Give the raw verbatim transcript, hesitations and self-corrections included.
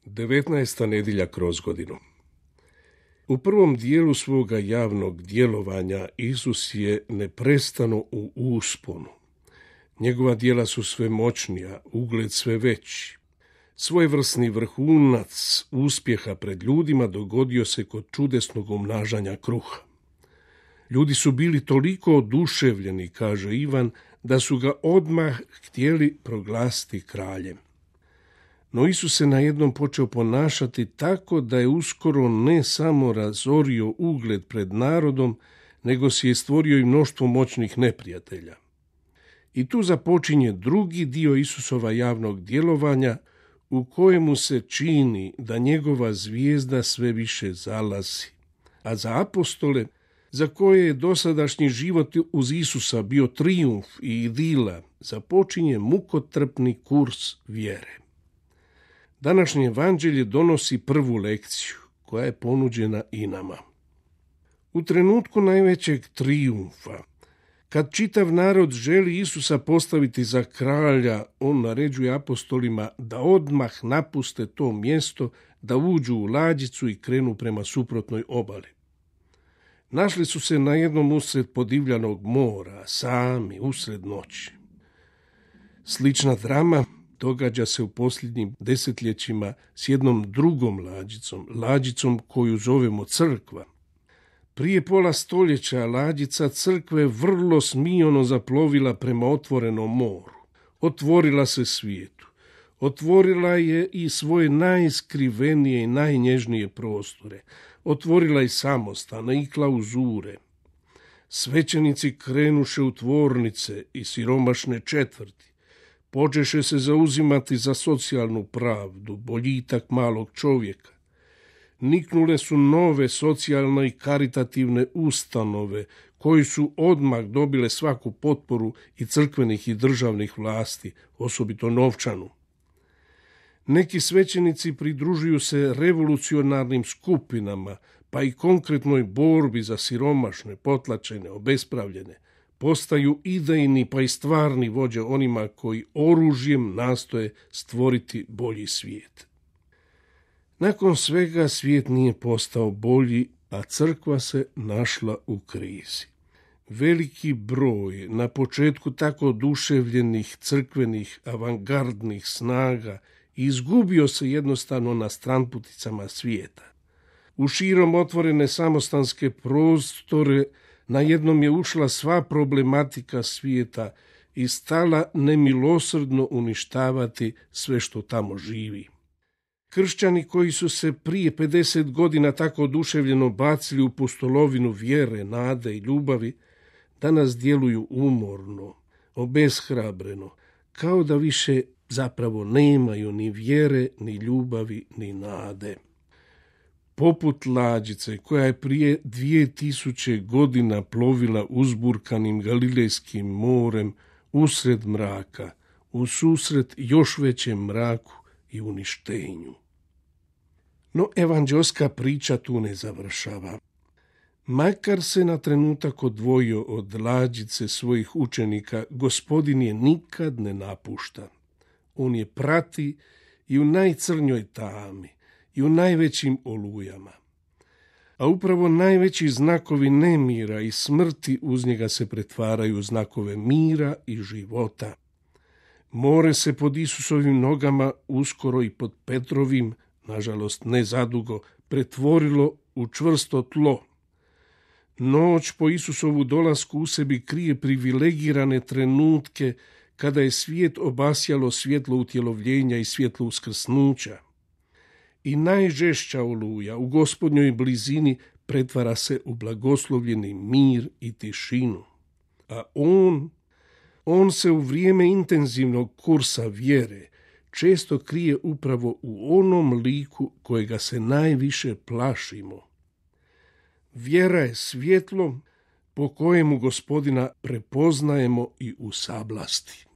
devetnaesta nedjelja kroz godinu. U prvom dijelu svoga javnog djelovanja Isus je neprestano u usponu. Njegova djela su sve moćnija, ugled sve veći. Svojevrsni vrhunac uspjeha pred ljudima dogodio se kod čudesnog umnažanja kruha. Ljudi su bili toliko oduševljeni, kaže Ivan, da su ga odmah htjeli proglasiti kraljem. No Isus se najednom počeo ponašati tako da je uskoro ne samo razorio ugled pred narodom, nego si je stvorio i mnoštvo moćnih neprijatelja. I tu započinje drugi dio Isusova javnog djelovanja, u kojemu se čini da njegova zvijezda sve više zalazi. A za apostole, za koje je dosadašnji život uz Isusa bio trijumf i idila, započinje mukotrpni kurs vjere. Današnje evanđelje donosi prvu lekciju, koja je ponuđena i nama. U trenutku najvećeg trijumfa, kad čitav narod želi Isusa postaviti za kralja, on naređuje apostolima da odmah napuste to mjesto, da uđu u lađicu i krenu prema suprotnoj obali. Našli su se na jednom usred podivljanog mora, sami, usred noći. Slična drama događa se u posljednjim desetljećima s jednom drugom lađicom, lađicom koju zovemo crkva. Prije pola stoljeća lađica crkve vrlo smiono zaplovila prema otvorenom moru. Otvorila se svijetu. Otvorila je i svoje najskrivenije i najnježnije prostore. Otvorila i samostane i klauzure. Svećenici krenuše u tvornice i siromašne četvrti. Počeše se zauzimati za socijalnu pravdu, boljitak malog čovjeka. Niknule su nove socijalne i karitativne ustanove, koji su odmah dobile svaku potporu i crkvenih i državnih vlasti, osobito novčanu. Neki svećenici pridružuju se revolucionarnim skupinama, pa i konkretnoj borbi za siromašne, potlačene, obespravljene. Postaju idejni pa i stvarni vođe onima koji oružjem nastoje stvoriti bolji svijet. Nakon svega svijet nije postao bolji, a crkva se našla u krizi. Veliki broj na početku tako oduševljenih crkvenih avangardnih snaga izgubio se jednostavno na stranputicama svijeta. U širom otvorene samostanske prostore najednom je ušla sva problematika svijeta i stala nemilosrdno uništavati sve što tamo živi. Kršćani koji su se prije pedeset godina tako oduševljeno bacili u pustolovinu vjere, nade i ljubavi, danas djeluju umorno, obeshrabreno, kao da više zapravo nemaju ni vjere, ni ljubavi, ni nade. Poput lađice koja je prije dvije tisuće godina plovila uzburkanim Galilejskim morem usred mraka, u susret još većem mraku i uništenju. No evanđelska priča tu ne završava. Makar se na trenutak odvojio od lađice svojih učenika, Gospodin je nikad ne napušta. On je prati i u najcrnjoj tami, i u najvećim olujama. A upravo najveći znakovi nemira i smrti uz njega se pretvaraju u znakove mira i života. More se pod Isusovim nogama, uskoro i pod Petrovim, nažalost ne zadugo, pretvorilo u čvrsto tlo. Noć po Isusovu dolasku u sebi krije privilegirane trenutke kada je svijet obasjalo svjetlo utjelovljenja i svjetlo uskrsnuća. I najžešća oluja u Gospodnjoj blizini pretvara se u blagoslovljeni mir i tišinu. A on, on se u vrijeme intenzivnog kursa vjere često krije upravo u onom liku kojega se najviše plašimo. Vjera je svjetlo po kojemu Gospodina prepoznajemo i u sablasti.